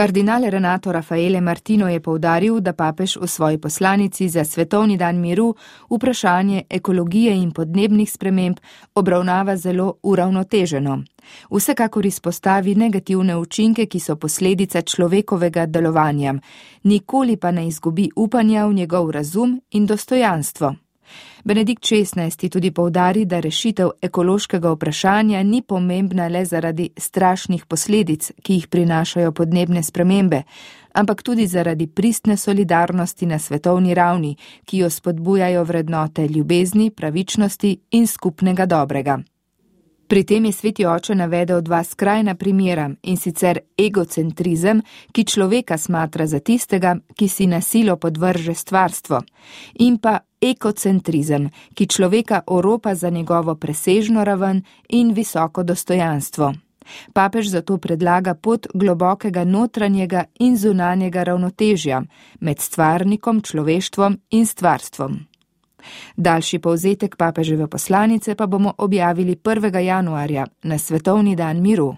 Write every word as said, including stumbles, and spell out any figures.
Kardinal Renato Raffaele Martino je poudaril, da papež v svoji poslanici za Svetovni dan miru vprašanje ekologije in podnebnih sprememb obravnava zelo uravnoteženo. Vsekakor izpostavi negativne učinke, ki so posledica človekovega delovanja, nikoli pa ne izgubi upanja v njegov razum in dostojanstvo. Benedikt šestnajsti tudi poudari, da rešitev ekološkega vprašanja ni pomembna le zaradi strašnih posledic, ki jih prinašajo podnebne spremembe, ampak tudi zaradi pristne solidarnosti na svetovni ravni, ki jo spodbujajo vrednote ljubezni, pravičnosti in skupnega dobrega. Pri tem je sveti oče navedel dva skrajna primera, in sicer egocentrizem, ki človeka smatra za tistega, ki si na silo podvrže stvarstvo, in pa ekocentrizem, ki človeka oropa za njegovo presežno raven in visoko dostojanstvo. Papež zato predlaga pot globokega notranjega in zunanjega ravnotežja med stvarnikom, človeštvom in stvarstvom. Daljši povzetek papeževe poslanice pa bomo objavili prvega januarja na Svetovni dan miru.